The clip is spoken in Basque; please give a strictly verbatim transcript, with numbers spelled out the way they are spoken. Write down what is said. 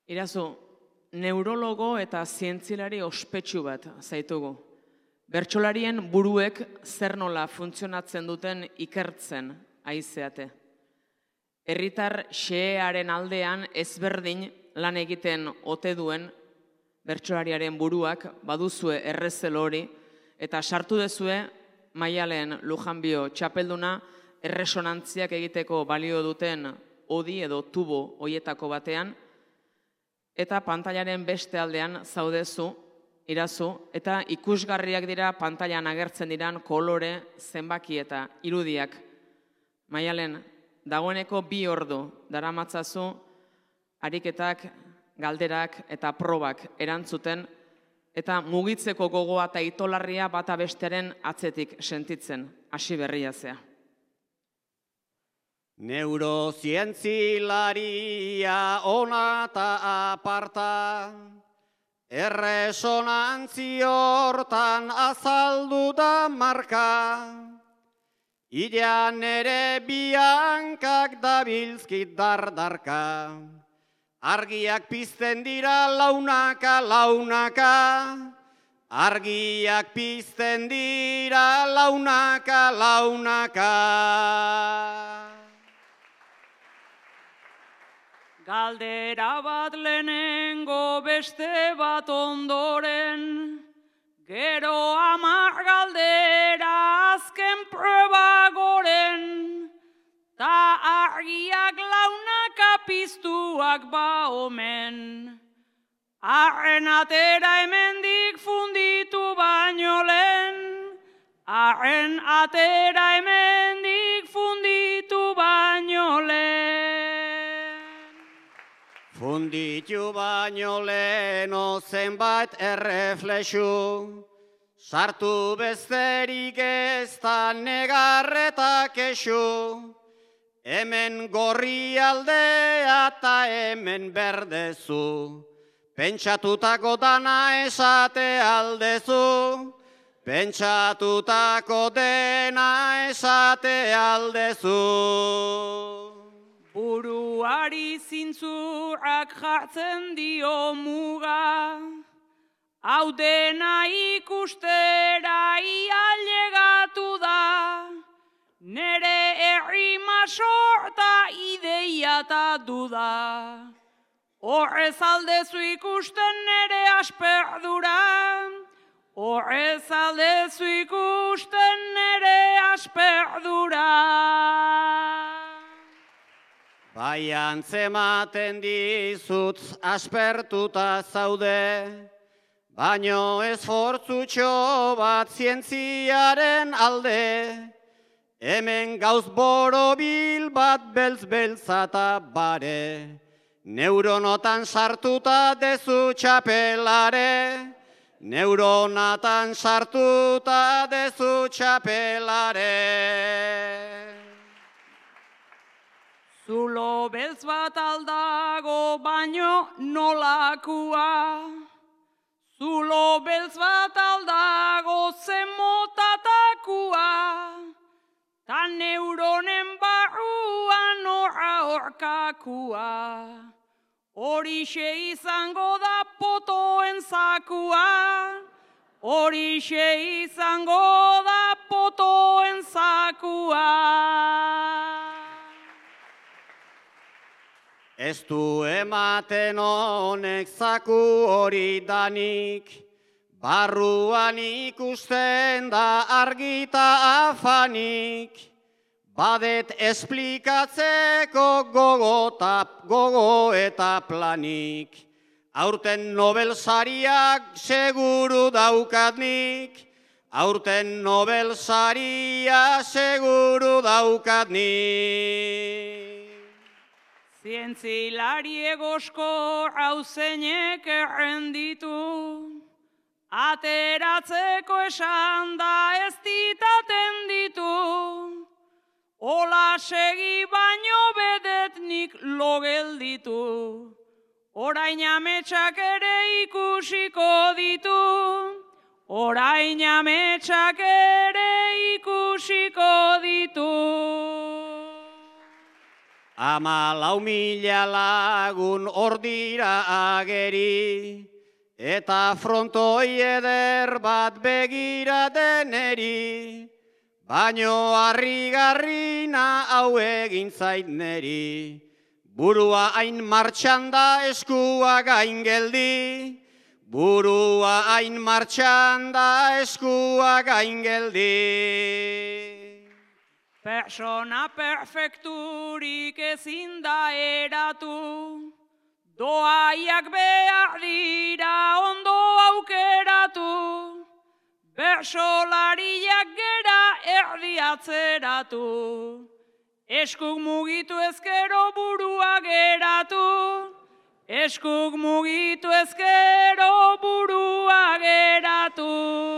Irazu, neurologo eta zientzilari ospetsu bat zaitugu. Bertsolarien buruek zer nola funtzionatzen duten ikertzen aizeate. Herritar xehearen aldean ezberdin lan egiten ote duen bertsolariaren buruak baduzue errezel hori eta sartu dezue Maialen Lujanbio txapelduna erresonantziak egiteko balio duten odi edo tubo hoietako batean eta pantailaren beste aldean zaudezu, irazu, eta ikusgarriak dira pantailan agertzen diran kolore, zenbaki eta irudiak. Maialen, dagoeneko bi ordu daramatzazu ariketak, galderak eta probak erantzuten eta mugitzeko gogoa eta itolarria bata bestearen atzetik sentitzen, hasi berria zea. Neurozientzilaria ona eta aparta, erresonantzi hortan azaldu da marka, irean ere biankak dabilzkit dardarka, argiak pizten dira launaka, launaka, argiak pizten dira launaka, launaka. Galdera bat lehenengo beste bat ondoren, gero hamar galdera azken proba goren, ta argiak launaka piztuak ba omen. Arren atera hemendik funditu baino lehen, arren atera hemendik funditu baino lehen. Funditu baino leheno zenbait erreflexu, sartu besterik ez da negarreta kexu, hemen gorri aldea eta hemen berdezu, pentsatutako dana esate aldezu, pentsatutako dena esate aldezu. Buruari zintzurak jartzen dio muga, hau dena ikustera ialegatu da, nere errima sorta ideia eta duda. Horrez aldezu ikusten nere asperdura, horrez aldezu ikusten nere asperdura. Bai antzematen dizut aspertuta zaude, baino esfortzutxo bat zientziaren alde, hemen gauz borobil bat beltz-beltzata bare, neuronotan sartuta dezu txapelare, neuronatan sartuta dezu txapelare. Zulo beltz bat aldago baino nolakua, zulo beltz bat aldago zemotatakua, ta neuronen barruan horra horkakua, horixe izango da potoen zakua, horixe izango da potoen zakua. Ez du ematen honek zaku hori danik, barruan ikusten da argita afanik, badet esplikatzeko gogo, gogo eta planik, aurten Nobel sariak seguru daukatnik, aurten Nobel saria seguru daukatnik. Zientzilari egosko hauzeinek errenditu, ateratzeko esan da ez ditaten ditu, ola segi baino bedetnik logelditu, orain ametsak ere ikusiko ditu, orain ametsak ere ikusiko ditu. Ama lau mila lagun ordira ageri, eta frontoi eder bat begira deneri, baino harrigarrina hau egin zait neri. Burua hain martxan da eskua gain geldi, burua hain martxan da eskua gain geldi. Persona perfekturik ezin da eratu, doaiak behar dira ondo aukeratu, bersolariak gera erdi atzeratu, eskuk mugitu ezkero burua geratu, eskuk mugitu ezkero burua geratu.